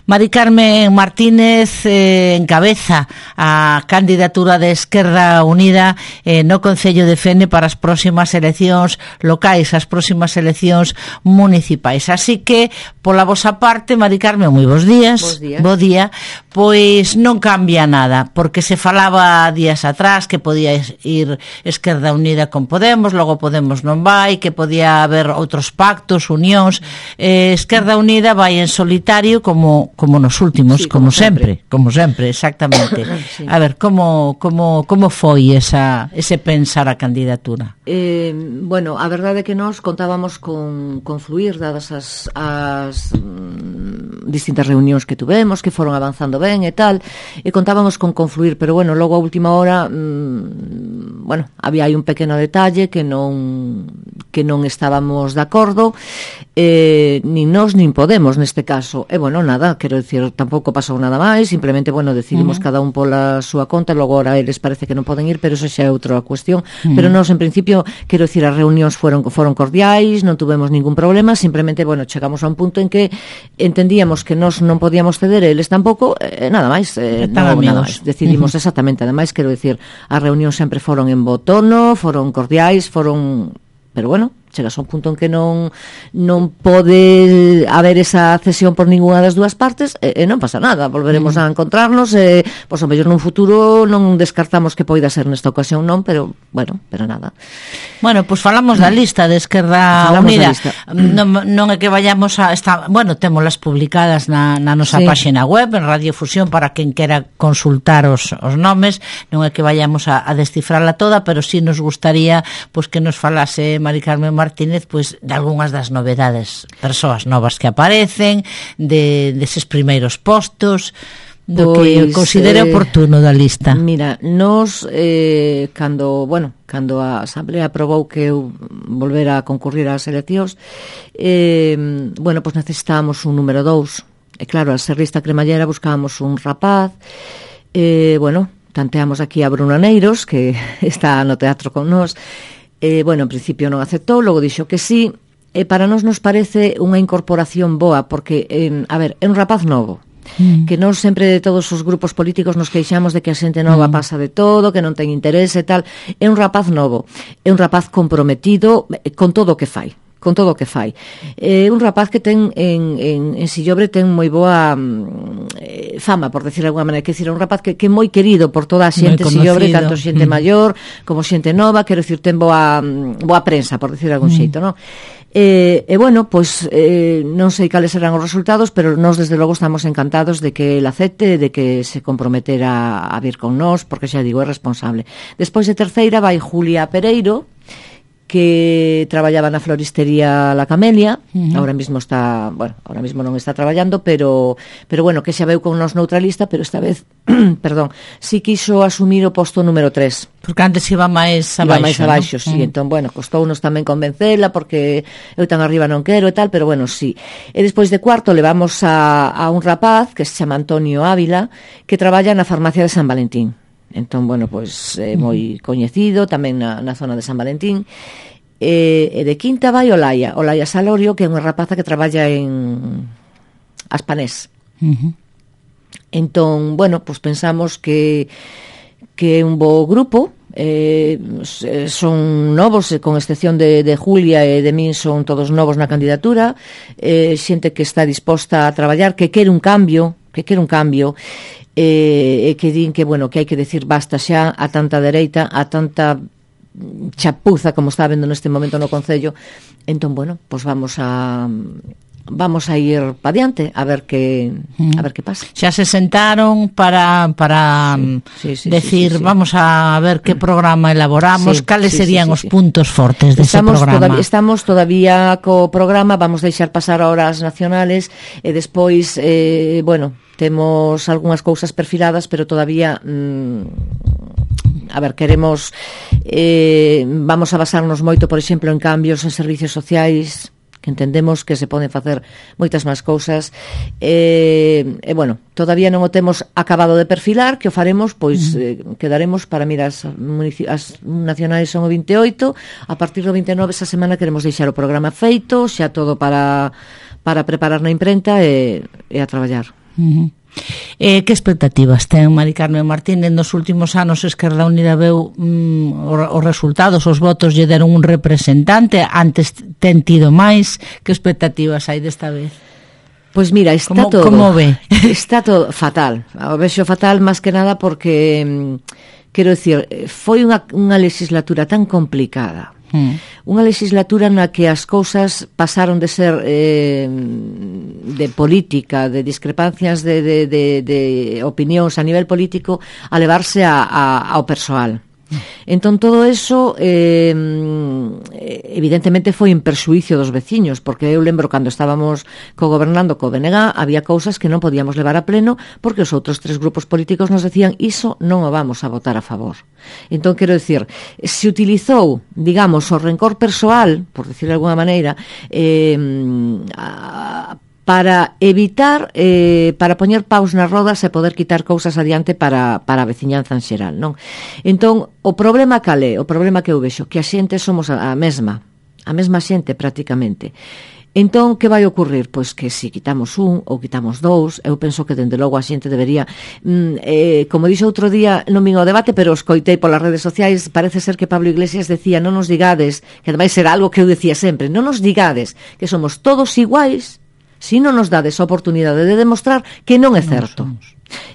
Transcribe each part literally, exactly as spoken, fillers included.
Mari Carmen Martínez eh, encabeza a candidatura de Esquerda Unida eh, no Concello de Fene para as próximas eleccións locais, as próximas eleccións municipais. Así que, pola vosa parte, Mari Carmen, moi bons días. Bos días. Bo día. Pois non cambia nada, porque se falaba días atrás que podía ir Esquerda Unida con Podemos, logo Podemos non vai, que podía haber outros pactos, unións. Eh, Esquerda Unida vai en solitario como como nos últimos, sí, como, como sempre. sempre, como sempre, exactamente. Sí. A ver, como como como foi esa ese pensar a candidatura? Eh, bueno, a verdade é que nós contábamos con, con fluir, dadas as, as mm, distintas reunións que tuvemos, que foron avanzando ben e tal, e contábamos con confluir, pero bueno, logo a última hora mm, bueno, había aí un pequeno detalle que non que non estábamos de acordo, eh, nin nós nin Podemos neste caso, e bueno, nada, quero dicir, tampouco pasou nada máis, simplemente, bueno, decidimos uh -huh. cada un pola súa conta, logo ahora eles parece que non poden ir, pero eso xa é outra cuestión, uh -huh. pero nós en principio, quero dicir, as reunións foron foron cordiais, non tuvemos ningún problema, simplemente, bueno, chegamos a un punto en que entendíamos que nós non podíamos ceder, eles tampouco, eh, nada máis, eh, non, nada máis, decidimos uh -huh. exactamente, ademais, quero dicir, as reunións sempre foron en bo tono, foron cordiais, foron, pero bueno, chegas a un punto en que non non pode haber esa cesión por ninguna das dúas partes e, e non pasa nada, volveremos mm. a encontrarnos e, pois, ao mellor nun futuro non descartamos que poida ser nesta ocasión non, pero, bueno, pero nada. Bueno, pois pues falamos da lista de Esquerda falamos Unida. Non, non é que vayamos a... Está, bueno, témolas publicadas na, na nosa sí. páxina web, en Radiofusión, para quen quera consultar os, os nomes, non é que vayamos a, a descifrarla toda, pero sí nos gustaría pois, que nos falase Mari Carmen Martínez pois de algunhas das novedades, persoas novas que aparecen, de deses primeiros postos, do pois, que considere eh, oportuno da lista. Mira, nos eh, cando, bueno, cando a Asamblea aprobou que eu volvera a concurrir ás eleccións, eh, bueno, pois necesitábamos un número dous. E claro, a ser lista cremallera buscábamos un rapaz, eh, bueno, tanteamos aquí a Bruno Neiros, que está no teatro con nós. Eh, bueno, en principio non aceptou, logo dixo que sí, e para nós nos parece unha incorporación boa, porque, eh, a ver, é un rapaz novo, mm. que nós sempre de todos os grupos políticos nos queixamos de que a xente nova mm. pasa de todo, que non ten interés e tal. É un rapaz novo, é un rapaz comprometido con todo o que fai, con todo o que fai. É un rapaz que ten en, en, en Sillobre ten moi boa eh, fama, por decir de alguna maneira, que decir, é un rapaz que, que é moi querido por toda a xente de Sillobre, tanto xente mm. maior como xente nova, quero dicir, ten boa, boa prensa, por decir de algún mm. xeito, non? E, e bueno, pois eh, non sei cales serán os resultados, pero nós desde logo estamos encantados de que el acepte, de que se comprometera a vir con nós, porque xa digo, é responsable. Despois de terceira vai Julia Pereiro, que traballaba na floristería La Camelia, uh -huh. ahora mismo está, bueno, ahora mismo non está traballando, pero pero bueno, que xa veu con nos noutra lista, pero esta vez, perdón, si quiso asumir o posto número tres. Porque antes iba máis abaixo, iba máis abaixo, ¿no? sí, uh -huh. entón, bueno, costounos tamén convencela, porque eu tan arriba non quero e tal, pero bueno, sí. E despois de cuarto levamos a, a un rapaz que se chama Antonio Ávila, que traballa na farmacia de San Valentín. Entón, bueno, pois é moi coñecido tamén na, na zona de San Valentín. E, e de quinta vai Olaya, Olaya Salorio, que é unha rapaza que traballa en Aspanés. Uh -huh. Entón, bueno, pois pensamos que que é un bo grupo, eh, son novos, con excepción de, de Julia e de min, son todos novos na candidatura, eh, xente que está disposta a traballar, que quere un cambio, que quere un cambio, e eh, que din que, bueno, que hai que decir basta xa a tanta dereita, a tanta chapuza como está vendo neste momento no Concello. Entón, bueno, pois vamos a vamos a ir para diante a ver que a ver que pasa. Xa se sentaron para para sí, sí, sí, decir, sí, sí, sí. vamos a ver que programa elaboramos, sí, cales sí, serían sí, sí, os sí. puntos fortes dese estamos programa. Todavía, estamos todavía co programa, vamos deixar pasar a horas nacionales e despois, eh, bueno, temos algunhas cousas perfiladas, pero todavía mmm, a ver, queremos eh, vamos a basarnos moito, por exemplo, en cambios en servicios sociais, que entendemos que se poden facer moitas máis cousas, e, e bueno, todavía non o temos acabado de perfilar, que o faremos, pois uh -huh. eh, quedaremos para mirar as, as nacionais son o vinte e oito, a partir do vinte e nove esa semana queremos deixar o programa feito, xa todo para para preparar na imprenta e, e a traballar. Uh-huh. Eh, que expectativas ten Mari Carmen Martínez? Nos últimos anos Esquerda Unida veu mm, os resultados, os votos lle deron un representante, antes ten tido máis. Que expectativas hai desta vez? Pois mira, está como, todo como ve? Está todo fatal. O vexo fatal máis que nada porque quero dicir, foi unha, unha legislatura tan complicada. Hmm. Unha legislatura na que as cousas pasaron de ser eh, de política, de discrepancias de, de, de, de opinións a nivel político, a levarse a, a, ao persoal. Entón todo eso eh, evidentemente foi en perxuicio dos veciños, porque eu lembro cando estábamos co-gobernando co B N G había cousas que non podíamos levar a pleno porque os outros tres grupos políticos nos decían iso non o vamos a votar a favor. Entón quero dicir, se utilizou, digamos, o rencor persoal, por decir de alguna maneira, eh, a, para evitar, eh, para poñer paus nas rodas e poder quitar cousas adiante para, para a veciñanza en xeral, non? Entón, o problema cal é? O problema que eu vexo, que a xente somos a, a mesma, a mesma xente prácticamente. Entón, que vai ocurrir? Pois que se quitamos un ou quitamos dous, eu penso que dende logo a xente debería, mm, eh, como dixo outro día, non vin ao debate, pero escoitei polas redes sociais, parece ser que Pablo Iglesias decía, non nos digades, que ademais era algo que eu decía sempre, non nos digades que somos todos iguais, si non nos dades a oportunidade de demostrar que non é certo.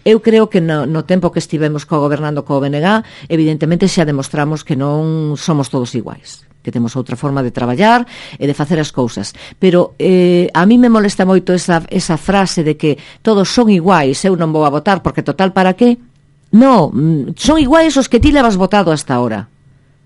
Eu creo que no, no tempo que estivemos co-gobernando co B N G, evidentemente xa demostramos que non somos todos iguais, que temos outra forma de traballar e de facer as cousas. Pero eh, a mí me molesta moito esa, esa frase de que todos son iguais, eu non vou a votar porque total para qué? No, son iguais os que ti levas votado hasta ahora.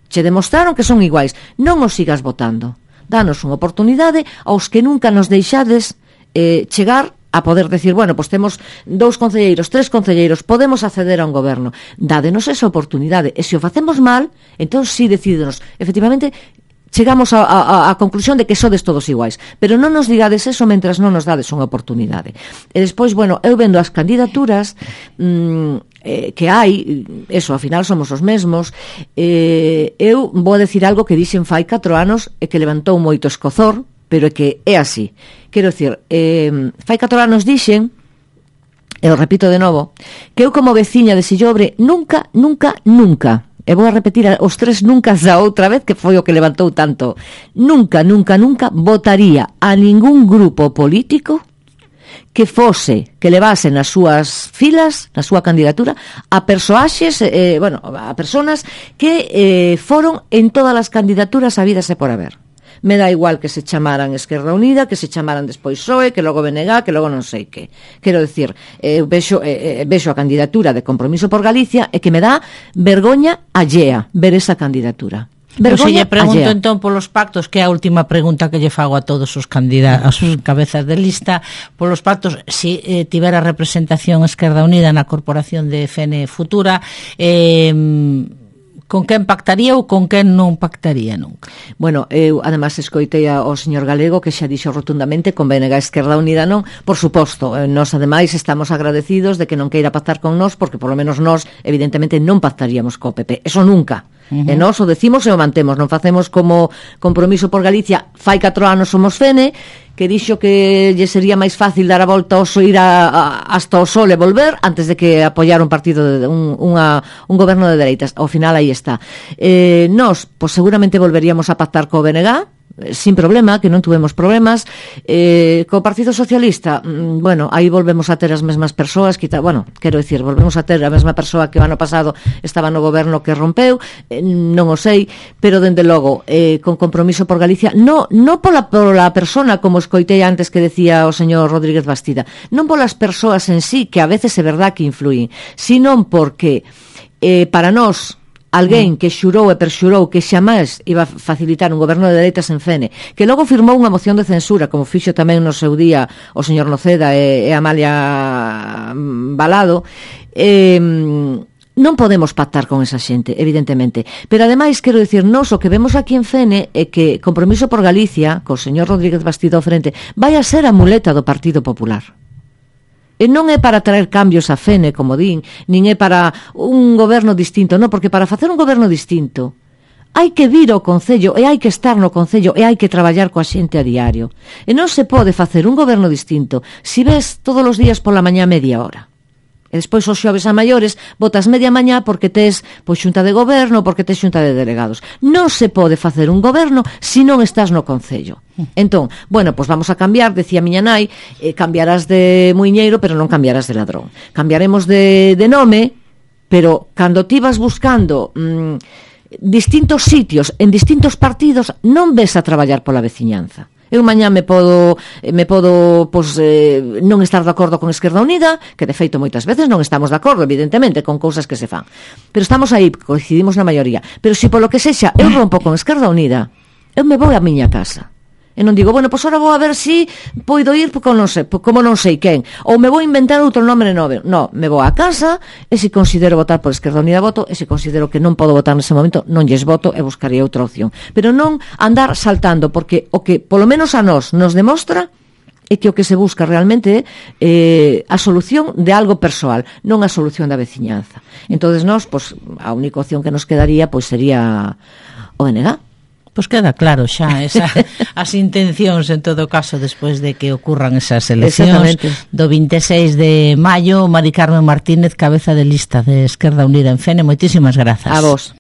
Che demostraron que son iguais, non os sigas votando. Danos unha oportunidade aos que nunca nos deixades eh, chegar a poder decir, bueno, pois temos dous concelleiros, tres concelleiros, podemos acceder a un goberno. Dádenos esa oportunidade. E se o facemos mal, entón sí decídenos. Efectivamente, chegamos a, a, a conclusión de que sodes todos iguais. Pero non nos digades eso mentras non nos dades unha oportunidade. E despois, bueno, eu vendo as candidaturas mmm, eh, que hai, eso, ao final somos os mesmos, eh, eu vou decir algo que dixen fai catro anos e que levantou moito escozor, pero é que é así. Quero dicir, eh, fai catro anos dixen, e o repito de novo, que eu como veciña de Sillobre nunca, nunca, nunca, e vou a repetir os tres nunca da outra vez, que foi o que levantou tanto, nunca, nunca, nunca votaría a ningún grupo político que fose, que levase nas súas filas, na súa candidatura, a persoaxes, eh, bueno, a personas que eh, foron en todas as candidaturas habidas e por haber. Me dá igual que se chamaran Esquerda Unida, que se chamaran despois P S O E, que logo B N G, que logo non sei que. Quero dicir, eh, vexo, eh, vexo a candidatura de Compromiso por Galicia e que me dá vergoña allea ver esa candidatura. Pero se lle pregunto allea. Entón polos pactos, que é a última pregunta que lle fago a todos os candidatos, os cabezas de lista, polos pactos, se eh, tivera representación Esquerda Unida na Corporación de F N Futura, eh, con quen pactaría ou con quen non pactaría nunca? Bueno, eu además escoitei ao señor Galego que xa dixo rotundamente con B N G Esquerda Unida non, por suposto, nós ademais estamos agradecidos de que non queira pactar con nós, porque por lo menos nós evidentemente non pactaríamos co P P, eso nunca. Uh-huh. E nós o decimos e o mantemos, non facemos como Compromiso por Galicia, fai catro anos somos F N, que dixo que lle sería máis fácil dar a volta ao so, ir a, a, hasta o sol e volver antes de que apoiar un partido de, un, unha, un goberno de dereitas. Ao final aí está. Eh, nós, pois seguramente volveríamos a pactar co B N G, sin problema, que non tuvemos problemas. Eh, co Partido Socialista, mm, bueno, aí volvemos a ter as mesmas persoas, quita, bueno, quero dicir, volvemos a ter a mesma persoa que o ano pasado estaba no goberno que rompeu, eh, non o sei, pero dende logo, eh, con Compromiso por Galicia, no, no pola, pola persona, como escoitei antes que decía o señor Rodríguez Bastida, non polas persoas en sí, que a veces é verdad que influyen, sino porque eh, para nós, alguén que xurou e perxurou que xamás iba a facilitar un goberno de dereitas en F N, que logo firmou unha moción de censura, como fixo tamén no seu día o señor Noceda e, e Amalia Balado, eh, non podemos pactar con esa xente, evidentemente. Pero ademais, quero dicir, nós o que vemos aquí en F N é que Compromiso por Galicia, co señor Rodríguez Bastida ao frente, vai a ser a muleta do Partido Popular. E non é para traer cambios a F N, como din, nin é para un goberno distinto, non, porque para facer un goberno distinto hai que vir ao Concello e hai que estar no Concello e hai que traballar coa xente a diario. E non se pode facer un goberno distinto se ves todos os días pola mañá media hora. E despois os xoves a maiores botas media mañá porque tes pois xunta de goberno, porque tes xunta de delegados. Non se pode facer un goberno se non estás no Concello. Entón, bueno, pois vamos a cambiar, decía miña nai, eh, cambiarás de muiñeiro, pero non cambiarás de ladrón. Cambiaremos de, de nome, pero cando ti vas buscando mmm, distintos sitios en distintos partidos, non ves a traballar pola veciñanza. Eu mañá me podo me podo pois, eh, non estar de acordo con Esquerda Unida, que de feito moitas veces non estamos de acordo, evidentemente, con cousas que se fan, pero estamos aí, coincidimos na maioría. Pero se polo que sexa eu rompo con Esquerda Unida, eu me vou a miña casa. E non digo, bueno, pois ora vou a ver si poido ir porque non sei, como non sei quen, ou me vou inventar outro nome novo. No, me vou a casa e se considero votar por Esquerda Unida voto, e se considero que non podo votar nese momento, non lles voto e buscarei outra opción. Pero non andar saltando, porque o que polo menos a nós nos demostra é que o que se busca realmente é eh, a solución de algo persoal, non a solución da veciñanza. Entonces nós, pois, a única opción que nos quedaría pois sería o N G. Pois queda claro xa esa, as intencións en todo caso despois de que ocurran esas eleccións do vinte e seis de maio. Mari Carmen Martínez, cabeza de lista de Esquerda Unida en Fene, moitísimas grazas. A vos.